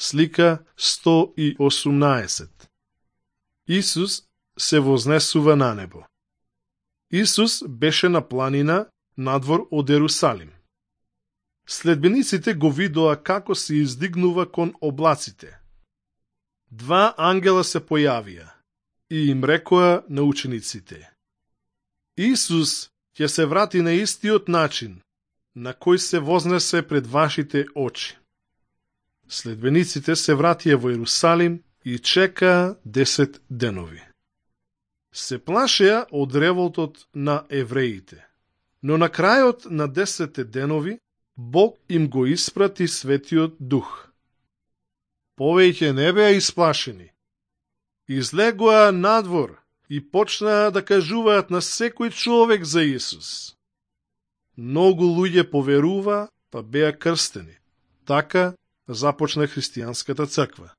Слика 118. Исус се вознесува на небо. Исус беше на планина надвор од Ерусалим. Следбениците го видоа како се издигнува кон облаците. Два ангела се појавија и им рекоа на учениците: Исус ќе се врати на истиот начин на кој се вознесе пред вашите очи. Следбениците се вратија во Ерусалим и чекаа 10 денови. Се плашеа од револтот на евреите, но на крајот на 10 денови Бог им го испрати Светиот Дух. Повеќе не беа исплашени. Излегоа надвор и почнаа да кажуваат на секој човек за Исус. Многу луѓе поверува, па беа крстени. Така започна христијанската црква.